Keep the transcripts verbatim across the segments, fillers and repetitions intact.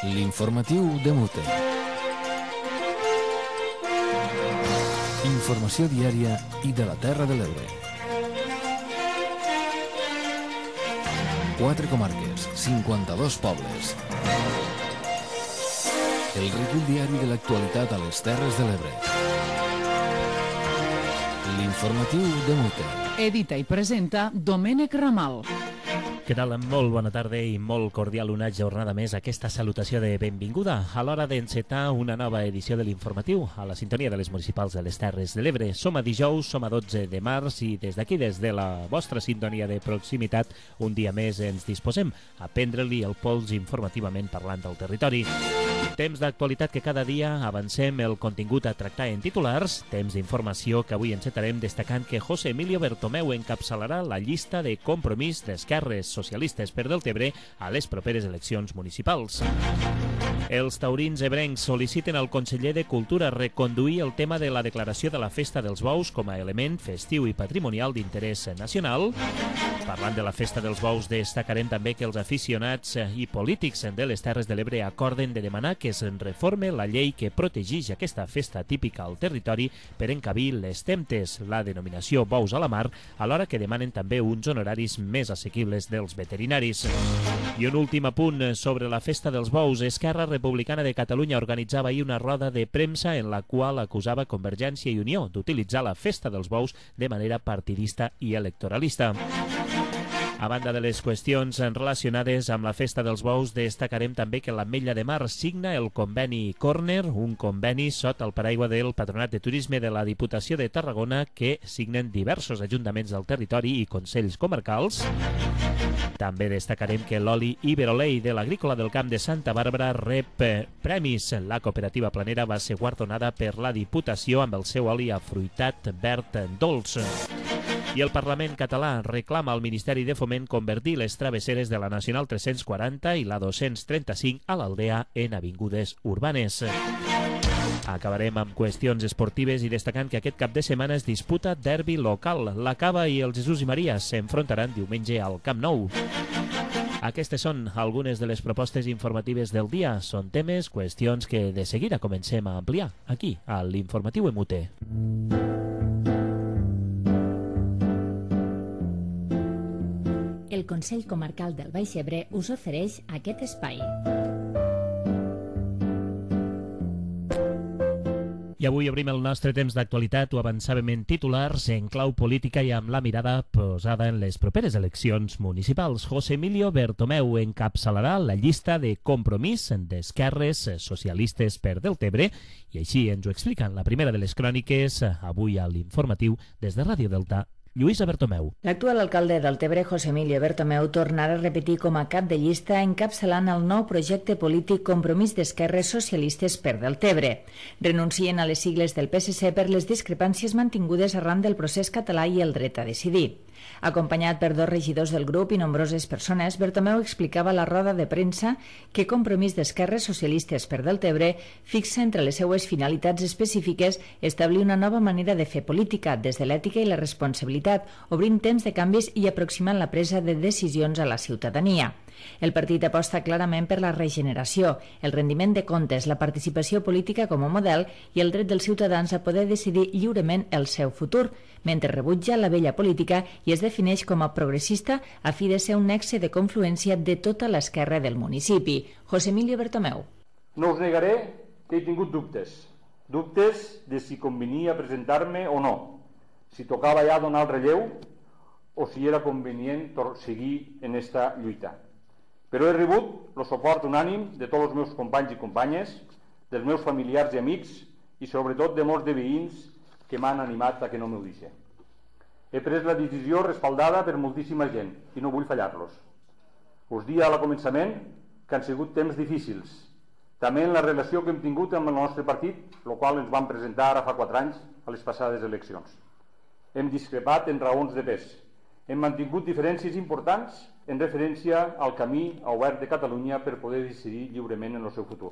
L'informatiu de Mute. Informació diària i de la Terra de l'Ebre. Quatre comarques, cinquanta-dos pobles. El recull diari de l'actualitat a les Terres de l'Ebre. L'informatiu de Mute. Edita i presenta Domènec Ramal. Què tal? Molt bona tarda i molt cordial una jornada més. Aquesta salutació de benvinguda a l'hora d'encetar una nova edició de l'informatiu a la sintonia de les municipals de les Terres de l'Ebre. Som a dijous, som a dotze de març i des d'aquí, des de la vostra sintonia de proximitat, un dia més ens disposem a prendre-li el pols informativament parlant del territori. Temps d'actualitat que cada dia avancem el contingut a tractar en titulars, temps d'informació que avui encetarem destacant que José Emilio Bertomeu encapçalarà la llista de compromís d'esquerres socialistes per Deltebre a les properes eleccions municipals. Els taurins ebrencs sol·liciten al conseller de Cultura reconduir el tema de la declaració de la Festa dels Bous com a element festiu i patrimonial d'interès nacional. Parlant de la Festa dels Bous, destacarem també que els aficionats i polítics de les Terres de l'Ebre acorden de demanar que es reforme la llei que protegeix aquesta festa típica al territori per encabir les temptes, la denominació bous a la mar, alhora que demanen també uns honoraris més assequibles dels veterinaris. I un últim apunt sobre la Festa dels Bous. Esquerra Republicana de Catalunya organitzava ahir una roda de premsa en la qual acusava Convergència i Unió d'utilitzar la Festa dels Bous de manera partidista i electoralista. A banda de les qüestions relacionades amb la Festa dels Bous, destacarem també que l'Ametlla de Mar signa el conveni Corner, un conveni sota el paraigua del Patronat de Turisme de la Diputació de Tarragona que signen diversos ajuntaments del territori i consells comarcals. També destacarem que l'oli Iberolei de l'Agrícola del Camp de Santa Bàrbara rep premis. La cooperativa planera va ser guardonada per la Diputació amb el seu oli afruitat verd dolç. I el Parlament català reclama al Ministeri de Foment convertir les travesseres de la Nacional tres-cents quaranta i la dos-cents trenta-cinc a l'Aldea en avingudes urbanes. Acabarem amb qüestions esportives i destacant que aquest cap de setmana es disputa derbi local. La Cava i el Jesús i Maria s'enfrontaran diumenge al Camp Nou. Aquestes són algunes de les propostes informatives del dia. Són temes, qüestions que de seguida comencem a ampliar aquí, a l'Informatiu M U T. El Consell Comarcal del Baix Ebre us ofereix aquest espai. I avui obrim el nostre temps d'actualitat, ho avançàvem en titulars, en clau política i amb la mirada posada en les properes eleccions municipals. José Emilio Bertomeu encapçalarà la llista de compromís d'esquerres socialistes per Deltebre i així ens ho expliquen la primera de les cròniques avui a l'informatiu des de Ràdio Delta. Lluïsa Bertomeu. L'actual alcalde d'Deltebre, José Emilio Bertomeu, tornarà a repetir com a cap de llista encapçalant el nou projecte polític Compromís d'Esquerres Socialistes per Deltebre. Renuncien a les sigles del P S C per les discrepàncies mantingudes arran del procés català i el dret a decidir. Acompanyat per dos regidors del grup i nombroses persones, Bertomeu explicava a la roda de premsa que Compromís d'Esquerres Socialistes per Deltebre fixa entre les seues finalitats específiques establir una nova manera de fer política des de l'ètica i la responsabilitat, obrint temps de canvis i aproximant la presa de decisions a la ciutadania. El partit aposta clarament per la regeneració, el rendiment de comptes, la participació política com a model i el dret dels ciutadans a poder decidir lliurement el seu futur, mentre rebutja la vella política i es defineix com a progressista a fi de ser un nexe de confluència de tota l'esquerra del municipi. José Emilio Bertomeu. No us negaré que he tingut dubtes. Dubtes de si convenia presentar-me o no, si tocava ja donar el relleu o si era convenient seguir en esta lluita. Però he rebut el suport unànim de tots els meus companys i companyes, dels meus familiars i amics i sobretot de molts de veïns que m'han animat a que no m'ho deixi. He pres la decisió respaldada per moltíssima gent i no vull fallar-los. Us dia al començament que han sigut temps difícils, també en la relació que hem tingut amb el nostre partit, el qual ens vam presentar ara fa quatre anys a les passades eleccions. Hem discrepat en raons de pes. Hem mantingut diferències importants en referència al camí obert de Catalunya per poder decidir lliurement en el seu futur.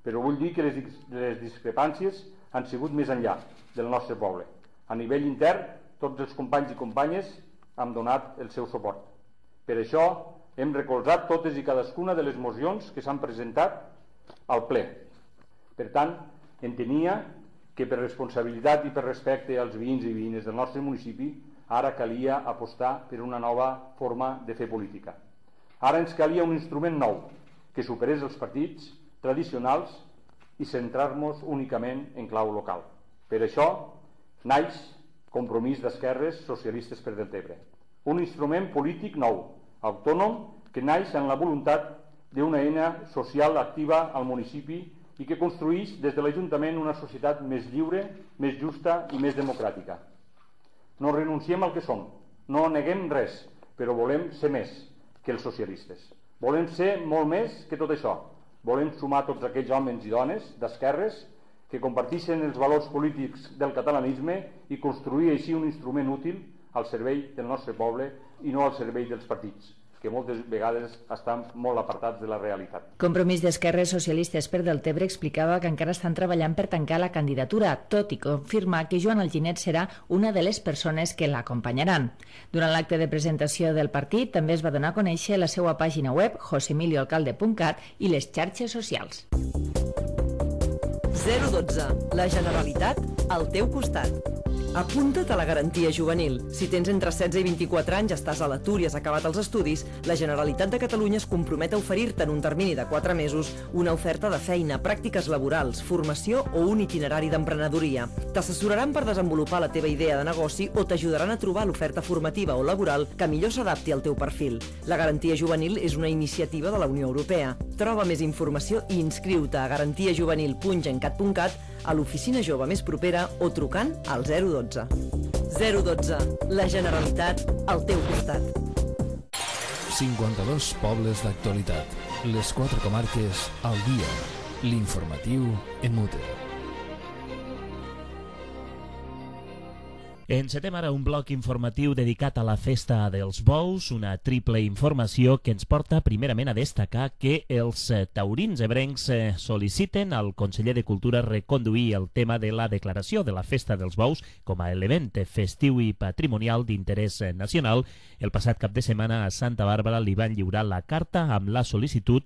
Però vull dir que les, les discrepàncies han sigut més enllà del nostre poble. A nivell intern, tots els companys i companyes han donat el seu suport. Per això hem recolzat totes i cadascuna de les mocions que s'han presentat al ple. Per tant, entenia que per responsabilitat i per respecte als veïns i veïnes del nostre municipi ara calia apostar per una nova forma de fer política. Ara ens calia un instrument nou que superés els partits tradicionals i centrar-nos únicament en clau local. Per això naix Compromís d'Esquerres Socialistes per Deltebre, un instrument polític nou, autònom, que naix en la voluntat d'una eina social activa al municipi i que construïx des de l'Ajuntament una societat més lliure, més justa i més democràtica. No renunciem al que som, no neguem res, però volem ser més que els socialistes. Volem ser molt més que tot això. Volem sumar tots aquells homes i dones d'esquerres que comparteixen els valors polítics del catalanisme i construir així un instrument útil al servei del nostre poble i no al servei dels partits, que moltes vegades estan molt apartats de la realitat. Compromís d'Esquerres Socialistes per Deltebre explicava que encara estan treballant per tancar la candidatura, tot i confirmar que Joan Alginet serà una de les persones que l'acompanyaran. Durant l'acte de presentació del partit també es va donar a conèixer la seva pàgina web, jose emilio alcalde punt cat, i les xarxes socials. zero dotze. La Generalitat al teu costat. Apunta't a la garantia juvenil. Si tens entre setze i vint-i-quatre anys, estàs a l'atur i has acabat els estudis, la Generalitat de Catalunya es compromet a oferir-te en un termini de quatre mesos una oferta de feina, pràctiques laborals, formació o un itinerari d'emprenedoria. T'assessoraran per desenvolupar la teva idea de negoci o t'ajudaran a trobar l'oferta formativa o laboral que millor s'adapti al teu perfil. La garantia juvenil és una iniciativa de la Unió Europea. Troba més informació i inscriu-te a garantia juvenil punt gencat punt cat, a l'oficina jove més propera o trucant al zero dotze. zero dotze. La Generalitat al teu costat. cinquanta-dos pobles d'actualitat. Les quatre comarques al dia. L'informatiu en mute. Encetem ara un bloc informatiu dedicat a la Festa dels Bous, una triple informació que ens porta primerament a destacar que els taurins ebrencs sol·liciten al conseller de Cultura reconduir el tema de la declaració de la Festa dels Bous com a element festiu i patrimonial d'interès nacional. El passat cap de setmana a Santa Bàrbara li van lliurar la carta amb la sol·licitud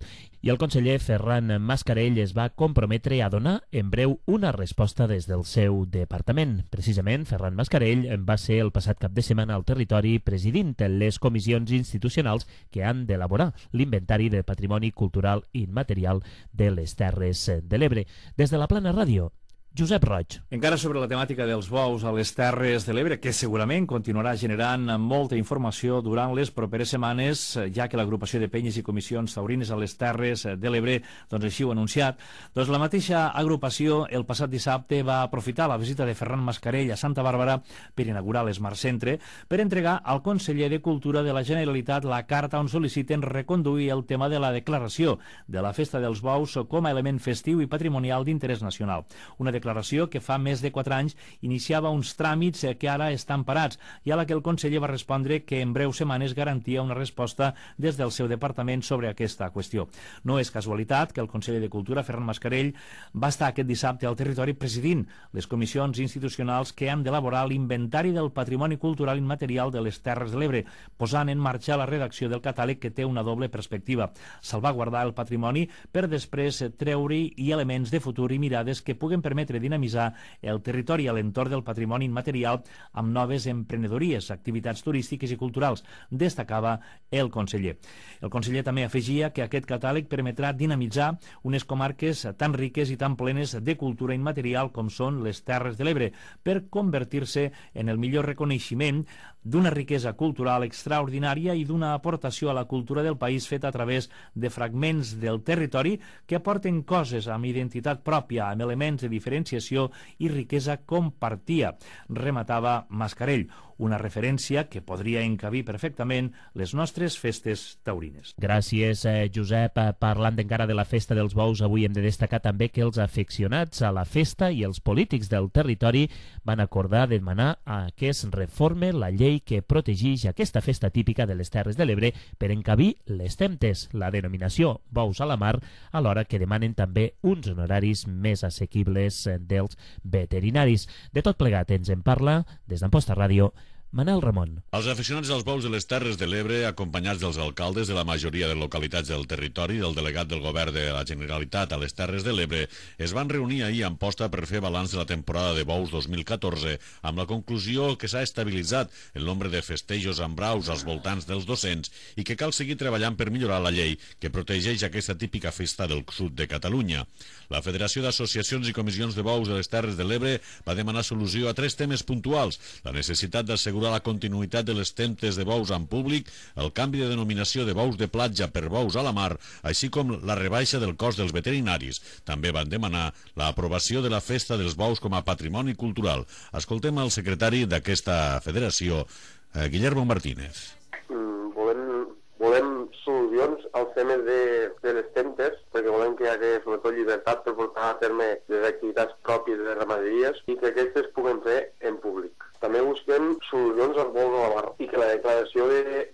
i el conseller Ferran Mascarell es va comprometre a donar en breu una resposta des del seu departament. Precisament, Ferran Mascarell va ser el passat cap de setmana al territori presidint les comissions institucionals que han d'elaborar l'inventari de patrimoni cultural immaterial de les Terres de l'Ebre. Des de la Plana Ràdio, Josep Roig. Encara sobre la temàtica dels bous a les Terres de l'Ebre, que segurament continuarà generant molta informació durant les properes setmanes, ja que l'agrupació de penyes i comissions taurines a les Terres de l'Ebre doncs així ho ha anunciat, doncs la mateixa agrupació el passat dissabte va aprofitar la visita de Ferran Mascarell a Santa Bàrbara per inaugurar l'Smart Centre per entregar al conseller de Cultura de la Generalitat la carta on sol·liciten reconduir el tema de la declaració de la Festa dels Bous com a element festiu i patrimonial d'interès nacional. Una declaració declaració que fa més de quatre anys iniciava uns tràmits que ara estan parats i a la que el conseller va respondre que en breus setmanes garantia una resposta des del seu departament sobre aquesta qüestió. No és casualitat que el conseller de Cultura, Ferran Mascarell, va estar aquest dissabte al territori presidint les comissions institucionals que han d'elaborar l'inventari del patrimoni cultural immaterial de les Terres de l'Ebre, posant en marxa la redacció del catàleg que té una doble perspectiva: salvaguardar el patrimoni per després treure-hi elements de futur i mirades que puguen permetre dinamitzar el territori a l'entorn del patrimoni immaterial amb noves emprenedories, activitats turístiques i culturals, destacava el conseller. El conseller també afegia que aquest catàleg permetrà dinamitzar unes comarques tan riques i tan plenes de cultura immaterial com són les Terres de l'Ebre, per convertir-se en el millor reconeixement d'una riquesa cultural extraordinària i d'una aportació a la cultura del país feta a través de fragments del territori que aporten coses amb identitat pròpia, amb elements de diferenciació i riquesa compartida, rematava Mascarell, una referència que podria encabir perfectament les nostres festes taurines. Gràcies, eh, Josep. Parlant encara de la Festa dels Bous, avui hem de destacar també que els aficionats a la festa i els polítics del territori van acordar demanar a que es reforme la llei que protegeix aquesta festa típica de les Terres de l'Ebre per encabir les temptes, la denominació bous a la mar, alhora que demanen també uns honoraris més assequibles dels veterinaris. De tot plegat ens en parla, des d'Amposta Ràdio, Manel Ramon. Els aficionats dels bous de les Terres de l'Ebre, acompanyats dels alcaldes de la majoria de localitats del territori i del delegat del govern de la Generalitat a les Terres de l'Ebre, es van reunir ahir a Amposta per fer balanç de la temporada de bous dos mil catorze, amb la conclusió que s'ha estabilitzat el nombre de festejos amb braus als voltants dels dos-cents i que cal seguir treballant per millorar la llei que protegeix aquesta típica festa del sud de Catalunya. La Federació d'Associacions i Comissions de Bous de les Terres de l'Ebre va demanar solució a tres temes puntuals: la necessitat d'assegurar la continuïtat de les temptes de bous en públic, el canvi de denominació de bous de platja per bous a la mar, així com la rebaixa del cost dels veterinaris. També van demanar l'aprovació de la festa dels bous com a patrimoni cultural. Escoltem el secretari d'aquesta federació, eh, Guillermo Martínez. Mm, volem, volem solucions als temes de, de les temptes, perquè volem que hi hagi sobretot llibertat per portar a terme les activitats pròpies de les ramaderies i que aquestes puguen fer en públic. També busquem solucions al bous de la mar i que la declaració de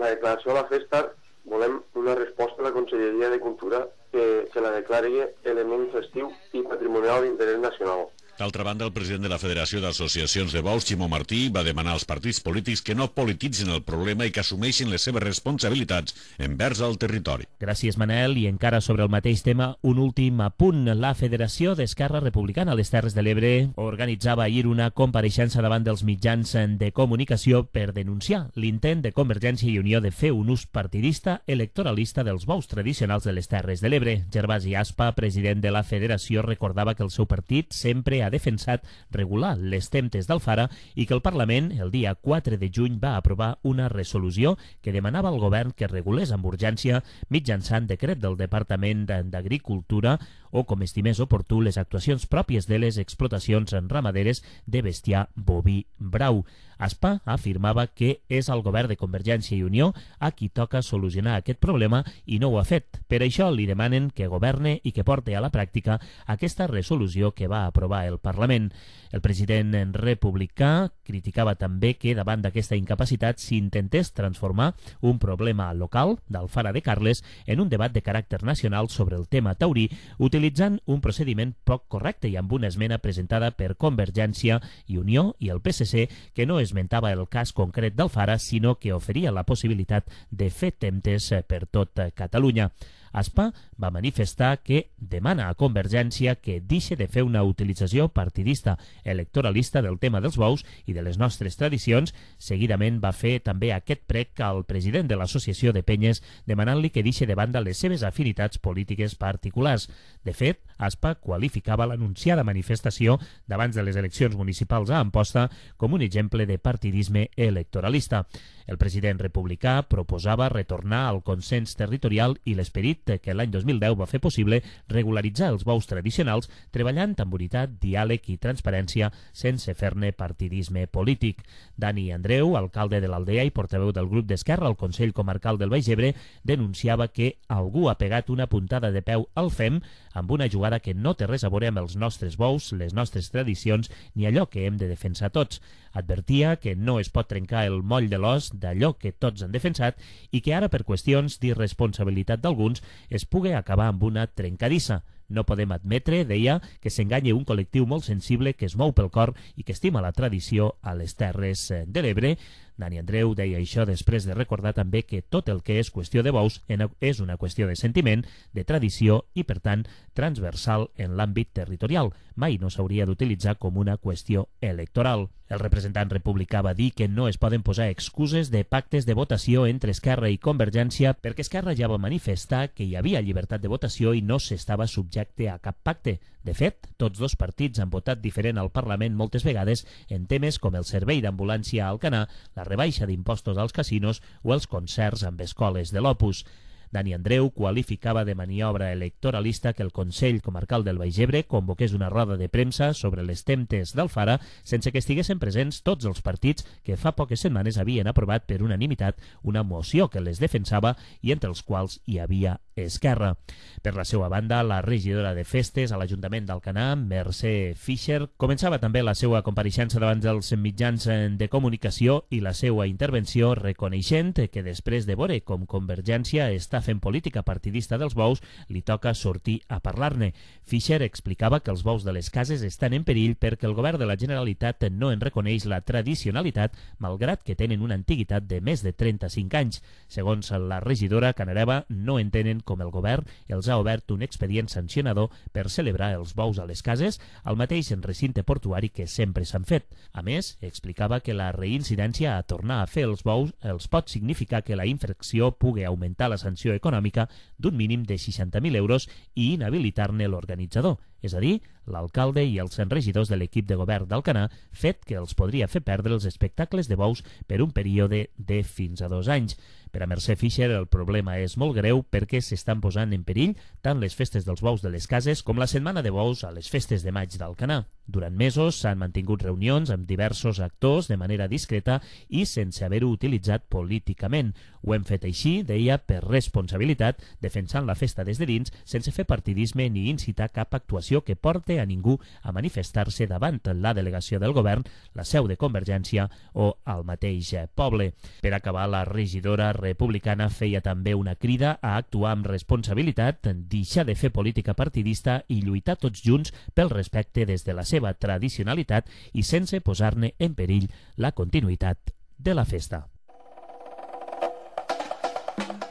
la declaració de la festa volem una resposta de la Conselleria de Cultura que, que la declari element festiu i patrimonial d'interès nacional. D'altra banda, el president de la Federació d'Associacions de Bous, Ximo Martí, va demanar als partits polítics que no polititzin el problema i que assumeixin les seves responsabilitats envers el territori. Gràcies, Manel. I encara sobre el mateix tema, un últim apunt. La Federació d'Esquerra Republicana a les Terres de l'Ebre organitzava ahir una compareixença davant dels mitjans de comunicació per denunciar l'intent de Convergència i Unió de fer un ús partidista electoralista dels bous tradicionals de les Terres de l'Ebre. Gervasi Aspa, president de la Federació, recordava que el seu partit sempre ha ha defensat regular les temptes d'Alfara i que el Parlament, el dia quatre de juny, va aprovar una resolució que demanava al govern que regulés amb urgència mitjançant decret del Departament d'Agricultura o, com estimés oportú, les actuacions pròpies de les explotacions ramaderes de bestiar boví brau. Aspa afirmava que és el govern de Convergència i Unió a qui toca solucionar aquest problema i no ho ha fet. Per això li demanen que governe i que porti a la pràctica aquesta resolució que va aprovar el Parlament. El president republicà criticava també que davant d'aquesta incapacitat s'intentés transformar un problema local d'Alfara de Carles en un debat de caràcter nacional sobre el tema taurí, utilitzant un procediment poc correcte i amb una esmena presentada per Convergència i Unió i el P S C que no esmentava el cas concret d'Alfara, sinó que oferia la possibilitat de fer temptes per tot Catalunya. Aspa va manifestar que demana a Convergència que deixi de fer una utilització partidista electoralista del tema dels bous i de les nostres tradicions. Seguidament va fer també aquest prec al president de l'Associació de Penyes demanant-li que deixi de banda les seves afinitats polítiques particulars. De fet, Aspa qualificava l'anunciada manifestació d'abans de les eleccions municipals a Amposta com un exemple de partidisme electoralista. El president republicà proposava retornar al consens territorial i l'esperit que l'any dos mil deu va fer possible regularitzar els bous tradicionals treballant amb unitat, diàleg i transparència sense fer-ne partidisme polític. Dani Andreu, alcalde de l'Aldea i portaveu del grup d'Esquerra al Consell Comarcal del Baix Ebre, denunciava que algú ha pegat una puntada de peu al F E M amb una jugada que no té res a veure amb els nostres bous, les nostres tradicions ni allò que hem de defensar tots. Advertia que no es pot trencar el moll de l'os d'allò que tots han defensat i que ara per qüestions d'irresponsabilitat d'alguns es pugui acabar amb una trencadissa. No podem admetre, deia, que s'enganye un col·lectiu molt sensible que es mou pel cor i que estima la tradició a les Terres de l'Ebre. Dani Andreu deia això després de recordar també que tot el que és qüestió de bous és una qüestió de sentiment, de tradició i, per tant, transversal en l'àmbit territorial. Mai no s'hauria d'utilitzar com una qüestió electoral. El representant republicà va dir que no es poden posar excuses de pactes de votació entre Esquerra i Convergència perquè Esquerra ja va manifestar que hi havia llibertat de votació i no s'estava subjecte a cap pacte. De fet, tots dos partits han votat diferent al Parlament moltes vegades en temes com el servei d'ambulància a Alcanar, la rebaixa d'impostos als casinos o els concerts amb escoles de l'Opus. Dani Andreu qualificava de maniobra electoralista que el Consell Comarcal del Baix Ebre convoqués una roda de premsa sobre les temptes d'Alfara sense que estiguessin presents tots els partits que fa poques setmanes havien aprovat per unanimitat una moció que les defensava i entre els quals hi havia Esquerra. Per la seva banda, la regidora de Festes a l'Ajuntament d'Alcanar, Mercè Fischer, començava també la seva compareixença davant dels mitjans de comunicació i la seva intervenció reconeixent que després de veure com Convergència està fent política partidista dels bous, li toca sortir a parlar-ne. Fischer explicava que els bous de les cases estan en perill perquè el govern de la Generalitat no en reconeix la tradicionalitat, malgrat que tenen una antiguitat de més de trenta-cinc anys. Segons la regidora Canareva, no entenen com el govern els ha obert un expedient sancionador per celebrar els bous a les cases, al mateix recinte portuari que sempre s'han fet. A més, explicava que la reincidència a tornar a fer els bous els pot significar que la infracció pugui augmentar la sanció econòmica d'un mínim de seixanta mil euros i inhabilitar-ne l'organitzador, és a dir, l'alcalde i els regidors de l'equip de govern d'Alcanar, fet que els podria fer perdre els espectacles de bous per un període de fins a dos anys. Per a Mercè Fischer el problema és molt greu perquè s'estan posant en perill tant les festes dels bous de les cases com la setmana de bous a les festes de maig d'Alcanar. Durant mesos s'han mantingut reunions amb diversos actors de manera discreta i sense haver-ho utilitzat políticament. Ho hem fet així, deia, per responsabilitat, defensant la festa des de dins, sense fer partidisme ni incitar cap actuació que porte a ningú a manifestar-se davant la delegació del govern, la seu de Convergència o al mateix poble. Per acabar, la regidora republicana feia també una crida a actuar amb responsabilitat, deixar de fer política partidista i lluitar tots junts pel respecte des de la seva tradicionalitat i sense posar-ne en perill la continuïtat de la festa.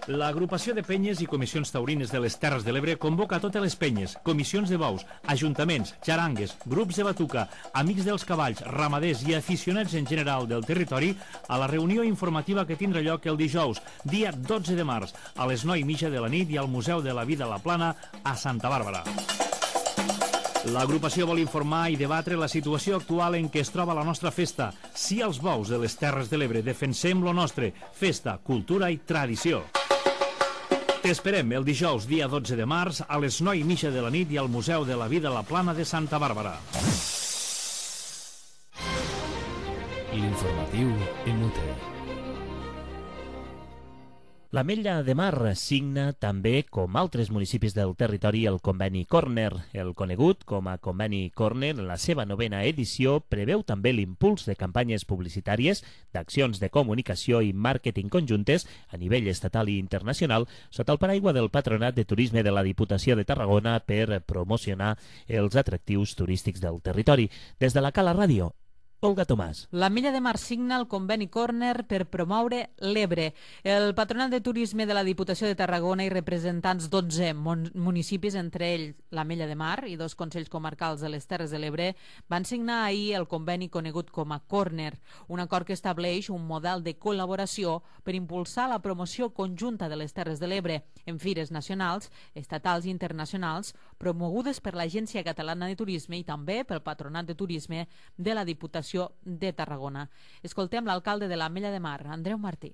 L'agrupació de penyes i comissions taurines de les Terres de l'Ebre convoca totes les penyes, comissions de bous, ajuntaments, xarangues, grups de batuca, amics dels cavalls, ramaders i aficionats en general del territori a la reunió informativa que tindrà lloc el dijous, dia dotze de març, a les nou i mitja de la nit i al Museu de la Vida a la Plana a Santa Bàrbara. L'agrupació vol informar i debatre la situació actual en què es troba la nostra festa. Sí als bous de les Terres de l'Ebre, defensem lo nostre, festa, cultura i tradició. T'esperem el dijous, dia dotze de març, a les nou i mitja de la nit i al Museu de la Vida a la Plana de Santa Bàrbara. L'informatiu en U T. L'Ametlla de Mar signa també, com altres municipis del territori, el conveni Corner. El conegut com a conveni Corner, en la seva novena edició, preveu també l'impuls de campanyes publicitàries, d'accions de comunicació i màrqueting conjuntes a nivell estatal i internacional sota el paraigua del Patronat de Turisme de la Diputació de Tarragona per promocionar els atractius turístics del territori. Des de la Cala Ràdio, Olga Tomàs. L'Ametlla de Mar signa el conveni Corner per promoure l'Ebre. El Patronat de Turisme de la Diputació de Tarragona i representants dotze municipis, entre ells l'Ametlla de Mar i dos consells comarcals de les Terres de l'Ebre, van signar ahir el conveni conegut com a Corner, un acord que estableix un model de col·laboració per impulsar la promoció conjunta de les Terres de l'Ebre en fires nacionals, estatals i internacionals, promogudes per l'Agència Catalana de Turisme i també pel Patronat de Turisme de la Diputació de Tarragona. Escoltem l'alcalde de l'Ametlla de Mar, Andreu Martí.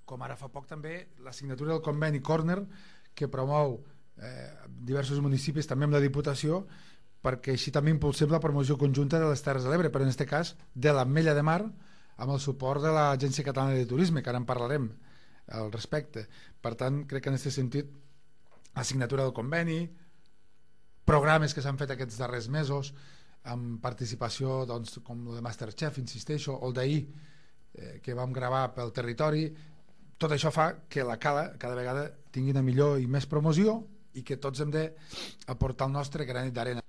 Com ara fa poc també la signatura del conveni Corner, que promou eh, diversos municipis també amb la Diputació, perquè així també impulsem la promoció conjunta de les Terres de l'Ebre, però en aquest cas de l'Ametlla de Mar, amb el suport de l'Agència Catalana de Turisme, que ara en parlarem al respecte. Per tant, crec que en aquest sentit la signatura del conveni, programes que s'han fet aquests darrers mesos, amb participació doncs, com el de Masterchef, insisteixo, o el d'ahir eh, que vam gravar pel territori, tot això fa que la Cala cada vegada tingui una millor i més promoció i que tots hem d'aportar el nostre granet d'arena.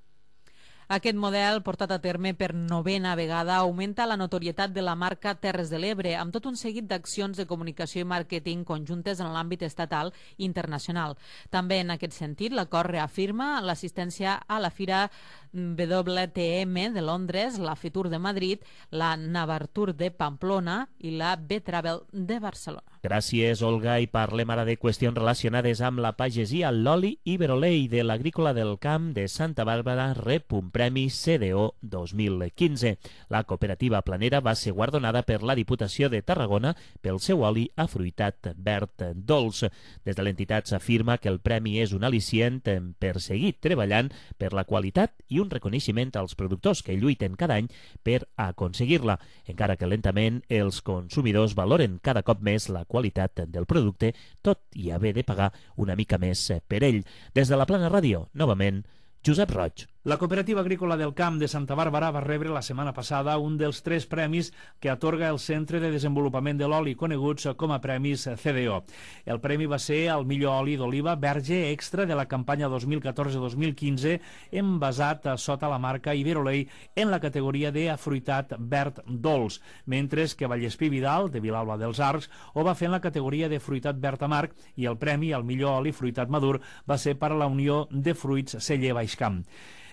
Aquest model, portat a terme per novena vegada, augmenta la notorietat de la marca Terres de l'Ebre, amb tot un seguit d'accions de comunicació i màrqueting conjuntes en l'àmbit estatal i internacional. També en aquest sentit, l'acord reafirma l'assistència a la Fira W T M de Londres, la Fitur de Madrid, la Navartur de Pamplona i la B-Travel de Barcelona. Gràcies, Olga, i parlem ara de qüestions relacionades amb la pagesia. L'oli Iberolei de l'Agrícola del Camp de Santa Bàrbara rep un premi C D O dos mil quinze. La cooperativa planera va ser guardonada per la Diputació de Tarragona pel seu oli afruitat verd dolç. Des de l'entitat s'afirma que el premi és un al·licient per seguir treballant per la qualitat i un reconeixement als productors que lluiten cada any per aconseguir-la, encara que lentament els consumidors valoren cada cop més la qualitat qualitat del producte, tot i haver de pagar una mica més per ell. Des de la Plana Ràdio, novament, Josep Roig. La Cooperativa Agrícola del Camp de Santa Bàrbara va rebre la setmana passada un dels tres premis que atorga el Centre de Desenvolupament de l'Oli, coneguts com a Premis C D O. El premi va ser el millor oli d'oliva verge extra de la campanya dos mil catorze dos mil quinze, envasat sota la marca Iberolei en la categoria de afruitat verd dolç, mentre que Vallespí Vidal, de Vilalba dels Arcs, ho va fer en la categoria de fruitat verd amarg, i el premi al millor oli fruitat madur va ser per a la Unió de Fruits Celler Baixcamp.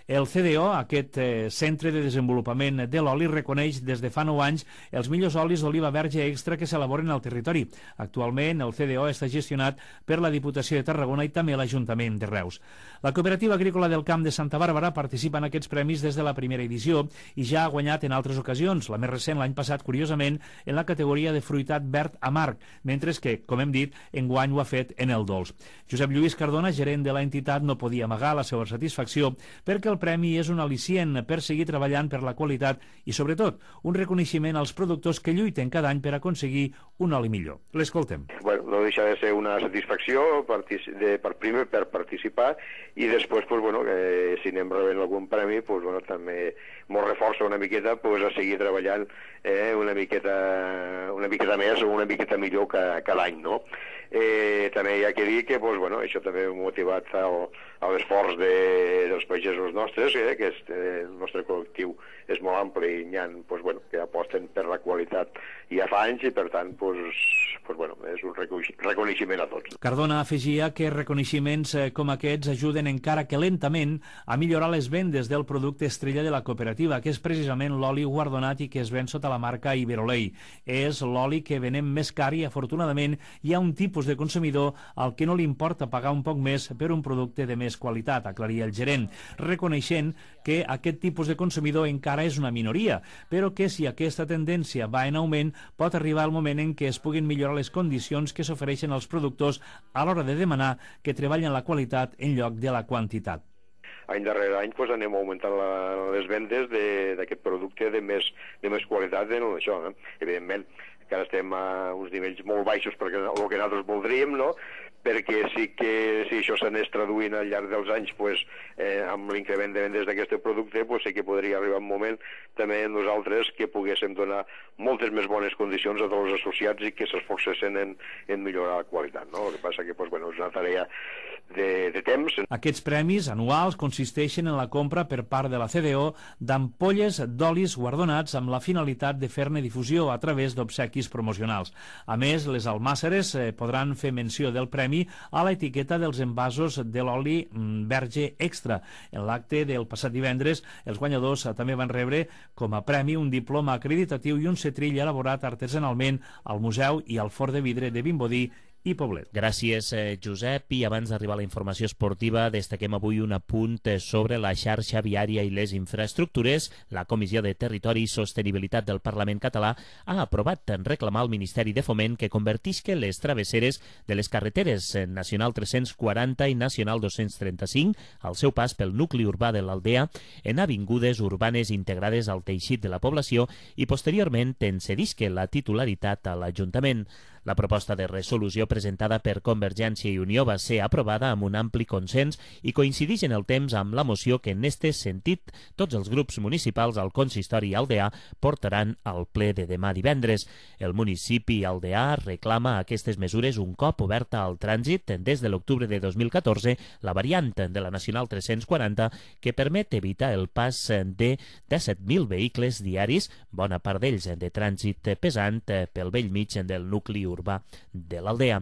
El C D O, aquest eh, Centre de Desenvolupament de l'Oli, reconeix des de fa nou anys els millors olis d'oliva verge extra que s'elaboren al territori. Actualment, el C D O està gestionat per la Diputació de Tarragona i també l'Ajuntament de Reus. La Cooperativa Agrícola del Camp de Santa Bàrbara participa en aquests premis des de la primera edició i ja ha guanyat en altres ocasions, la més recent l'any passat, curiosament, en la categoria de fruitat verd amarg, mentre que, com hem dit, enguany ho ha fet en el dolç. Josep Lluís Cardona, gerent de l'entitat, no podia amagar la seva satisfacció perquè el premi és un al·licient per seguir treballant per la qualitat i, sobretot, un reconeixement als productors que lluiten cada any per aconseguir un oli millor. L'escoltem. Bueno, no deixa de ser una satisfacció de, per primer per participar i després, pues, bueno, eh, si anem rebent algun premi, pues, bueno, també ens reforça una miqueta pues, a seguir treballant eh, una miqueta una miqueta més o una miqueta millor que, que l'any, no? Eh, també hi ha que dir que pues, bueno, això també ha motivat el, l'esforç de, dels pagesos nostres, eh, que és, eh, el nostre col·lectiu és molt ampli i hi ha pues, bueno, que aposten per la qualitat ja fa anys i per tant pues, pues, bueno, és un reconeixement a tots. Cardona afegia que reconeixements com aquests ajuden encara que lentament a millorar les vendes del producte estrella de la cooperativa, que és precisament l'oli guardonat i que es ven sota la marca Iberolei. És l'oli que venem més car i afortunadament hi ha un tipus de consumidor al que no li importa pagar un poc més per un producte de més qualitat, aclaria el gerent, reconeixent que aquest tipus de consumidor encara és una minoria, però que si aquesta tendència va en augment pot arribar el moment en què es puguin millorar les condicions que s'ofereixen als productors a l'hora de demanar que treballen la qualitat en lloc de la quantitat. Any darrere any pues, anem augmentant la, les vendes d'aquest producte de més, de més qualitat en això. Eh? Evidentment, que ara estem a uns nivells molt baixos perquè el que nosaltres voldríem, no? Perquè sí que si això s'anés traduint al llarg dels anys pues, eh, amb l'increment de vendes d'aquest producte pues, sí que podria arribar un moment també nosaltres que poguéssim donar moltes més bones condicions a tots els associats i que s'esforcessin en, en millorar la qualitat. No? El que passa que pues, bueno, és una tarea de, de temps. Aquests premis anuals consisteixen en la compra per part de la C D O d'ampolles d'olis guardonats amb la finalitat de fer-ne difusió a través d'obsequis promocionals. A més, les almàsseres eh, podran fer menció del premi a l'etiqueta dels envasos de l'oli verge extra. En l'acte del passat divendres, els guanyadors també van rebre com a premi un diploma acreditatiu i un setrill elaborat artesanalment al Museu i al Forn de Vidre de Vimbodí i Poblet. Gràcies, eh, Josep. I abans d'arribar a la informació esportiva, destaquem avui un apunt sobre la xarxa viària i les infraestructures. La Comissió de Territori i Sostenibilitat del Parlament català ha aprovat en reclamar al Ministeri de Foment que convertisca les travesseres de les carreteres Nacional tres-cents quaranta i Nacional dos-cents trenta-cinc, al seu pas pel nucli urbà de l'Aldea, en avingudes urbanes integrades al teixit de la població i posteriorment en cedisca la titularitat a l'Ajuntament. La proposta de resolució presentada per Convergència i Unió va ser aprovada amb un ampli consens i coincideix en el temps amb la moció que en este sentit tots els grups municipals al consistori aldeà portaran al ple de demà divendres. El municipi aldeà reclama aquestes mesures un cop oberta al trànsit des de l'octubre de dos mil catorze la variant de la Nacional tres-cents quaranta que permet evitar el pas de disset mil vehicles diaris, bona part d'ells de trànsit pesant pel bell mig del nucli urbà de l'Aldea.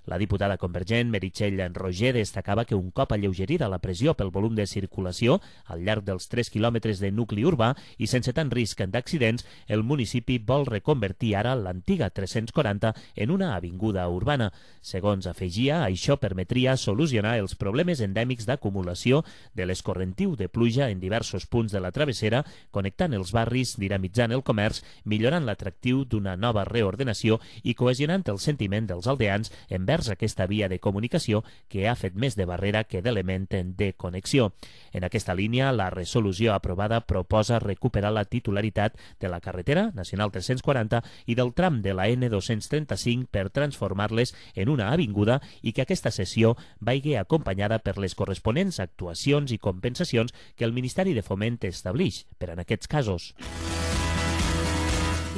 La diputada convergent Meritxell Roger destacava que un cop alleugerida la pressió pel volum de circulació al llarg dels tres quilòmetres de nucli urbà i sense tant risc d'accidents, el municipi vol reconvertir ara l'antiga tres-cents quaranta en una avinguda urbana. Segons afegia, això permetria solucionar els problemes endèmics d'acumulació de l'escorrentiu de pluja en diversos punts de la travessera, connectant els barris, dinamitzant el comerç, millorant l'atractiu d'una nova reordenació i cohesionant el sentiment dels aldeans envers comerç aquesta via de comunicació que ha fet més de barrera que d'element de connexió. En aquesta línia, la resolució aprovada proposa recuperar la titularitat de la carretera nacional tres-cents quaranta i del tram de la ene dos-cents trenta-cinc per transformar-les en una avinguda i que aquesta cessió vagi acompanyada per les corresponents actuacions i compensacions que el Ministeri de Foment estableix per en aquests casos.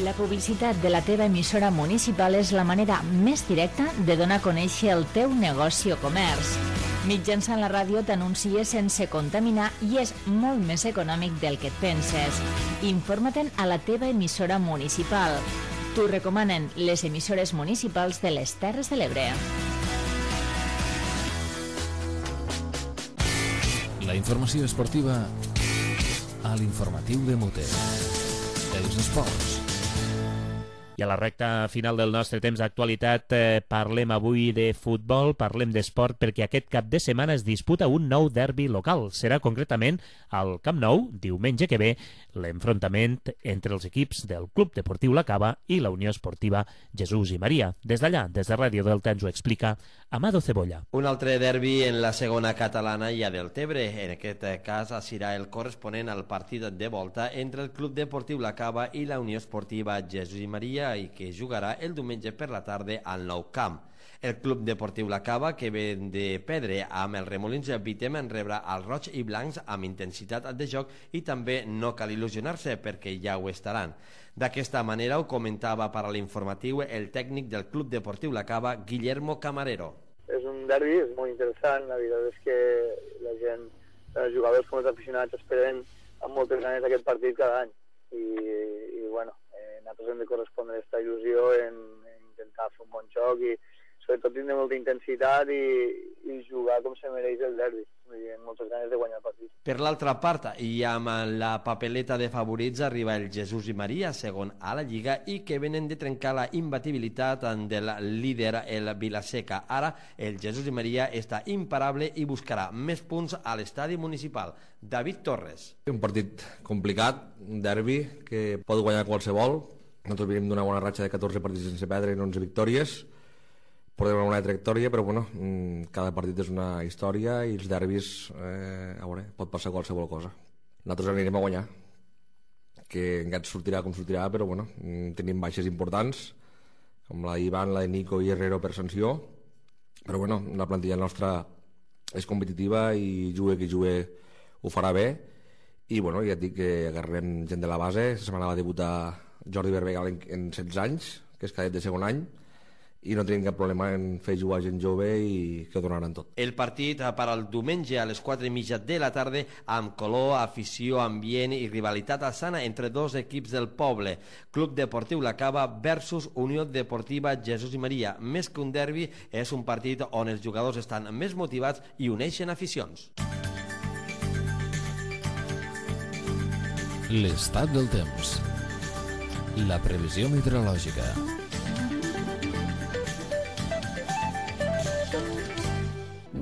La publicitat de la teva emissora municipal és la manera més directa de donar a conèixer el teu negoci o comerç. Mitjançant la ràdio t'anuncies sense contaminar i és molt més econòmic del que et penses. Informa-te'n a la teva emissora municipal. T'ho recomanen les emissores municipals de les Terres de l'Ebre. La informació esportiva a l'informatiu de Mote. Els esports. I a la recta final del nostre temps d'actualitat eh, parlem avui de futbol, parlem d'esport, perquè aquest cap de setmana es disputa un nou derbi local. Serà concretament al Camp Nou, diumenge que ve, l'enfrontament entre els equips del Club Deportiu La Cava i la Unió Esportiva Jesús i Maria. Des d'allà, des de Ràdio Delta, ens ho explica Amado Cebolla. Un altre derbi en la segona catalana i a Deltebre. En aquest cas serà el corresponent al partit de volta entre el Club Deportiu La Cava i la Unió Esportiva Jesús i Maria, i que jugarà el diumenge per la tarda al Nou Camp. El Club Deportiu La Cava, que ve de perdre amb el Remolins Vitem, en rebrà els roig i blancs amb intensitat de joc i també no cal il·lusionar-se perquè ja ho estaran. D'aquesta manera ho comentava per a l'informatiu el tècnic del Club Deportiu La Cava, Guillermo Camarero. És un derbi, és molt interessant, la veritat és que la gent, els jugadors com els aficionats esperen amb moltes ganes aquest partit cada any i, i bueno, nosaltres hem de correspondre a aquesta il·lusió en, en intentar fer un bon joc i sobretot tindre molta intensitat i, i jugar com se mereix el derbi, amb moltes ganes de guanyar el partit. Per l'altra part, i amb la papeleta de favorits arriba el Jesús i Maria, segon a la Lliga, i que venen de trencar la imbatibilitat del líder, el Vilaseca. Ara, el Jesús i Maria està imparable i buscarà més punts a l'estadi municipal. David Torres. Un partit complicat, un derbi que pot guanyar qualsevol. Nosaltres venim d'una bona ratxa de catorze partits sense perdre i onze victòries. Portem una bona trajectòria, però bueno, cada partit és una història i els derbis, eh, a veure, pot passar qualsevol cosa. Nosaltres anirem a guanyar, que encara sortirà com sortirà, però bueno, tenim baixes importants, com la d'Ivan, la de Nico i Herrero per sanció, però bueno, la plantilla nostra és competitiva i jugue qui jugue ho farà bé, i bueno, ja et dic que agarrem gent de la base. Aquesta setmana va debutar Jordi Berbegal en, en setze anys, que és cadet de segon any, i no tenim cap problema en fer jugar gent jove i que ho donaran tot. El partit per al diumenge a les quatre i mitja de la tarda amb color, afició, ambient i rivalitat sana entre dos equips del poble. Club Deportiu La Cava versus Unió Deportiva Jesús i Maria. Més que un derbi, és un partit on els jugadors estan més motivats i uneixen aficions. L'estat del temps. La previsió meteorològica.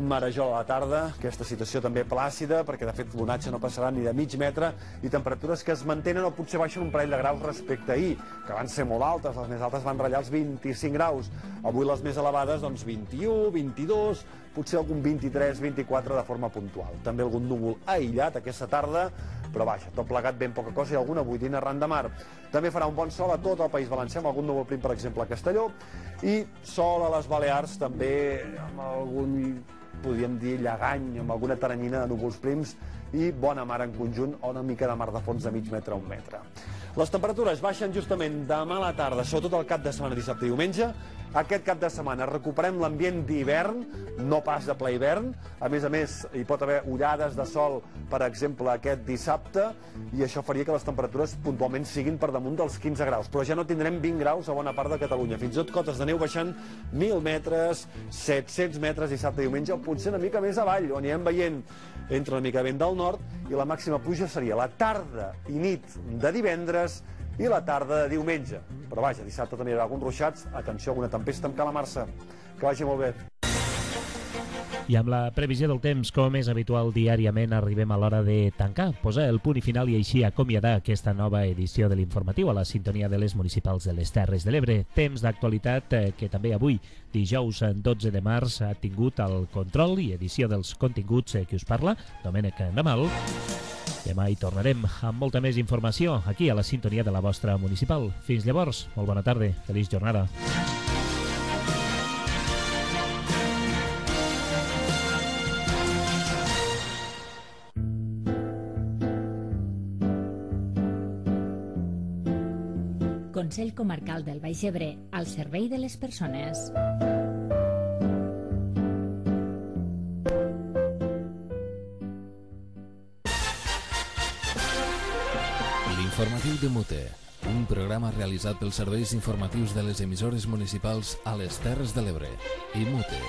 Marejol a la tarda, aquesta situació també plàcida, perquè de fet l'onatge no passarà ni de mig metre i temperatures que es mantenen o potser baixen un parell de graus respecte a ahir, que van ser molt altes, les més altes van ratllar els vint-i-cinc graus, avui les més elevades doncs vint-i-u, vint-i-dos, potser algun vint-i-tres, vint-i-quatre de forma puntual. També algun núvol aïllat aquesta tarda, però vaja, tot plegat ben poca cosa i alguna boirina arran de mar. També farà un bon sol a tot el País Valencià, amb algun núvol prim, per exemple, a Castelló, i sol a les Balears també amb algun, podríem dir, llegany, amb alguna taranyina de núvols prims i bona mar en conjunt o una mica de mar de fons de mig metre a un metre. Les temperatures baixen justament demà a la tarda, sobretot el cap de setmana, dissabte i diumenge. Aquest cap de setmana recuperem l'ambient d'hivern, no pas de ple hivern. A més a més, hi pot haver ullades de sol, per exemple, aquest dissabte, i això faria que les temperatures puntualment siguin per damunt dels quinze graus. Però ja no tindrem vint graus a bona part de Catalunya. Fins i tot cotes de neu baixant mil metres, set-cents metres dissabte i diumenge, o potser una mica més avall, on anirem veient entra una mica vent del nord, i la màxima pluja seria la tarda i nit de divendres i la tarda de diumenge. Però vaja, dissabte també hi haurà alguns ruixats. Atenció, alguna tempesta amb calamarsa. Que vagi molt bé. I amb la previsió del temps, com és habitual diàriament, arribem a l'hora de tancar, posar el punt i final i així acomiadar aquesta nova edició de l'informatiu a la sintonia de les municipals de les Terres de l'Ebre. Temps d'actualitat eh, que també avui, dijous dotze de març, ha tingut el control i edició dels continguts eh, que us parla, Domènec Ramal. Demà hi tornarem amb molta més informació aquí a la sintonia de la vostra municipal. Fins llavors, molt bona tarda, feliç jornada. Consell Comarcal del Baix Ebre, al servei de les persones. L'informatiu de Mute, un programa realitzat pels serveis informatius de les emissores municipals a les Terres de l'Ebre i Mute.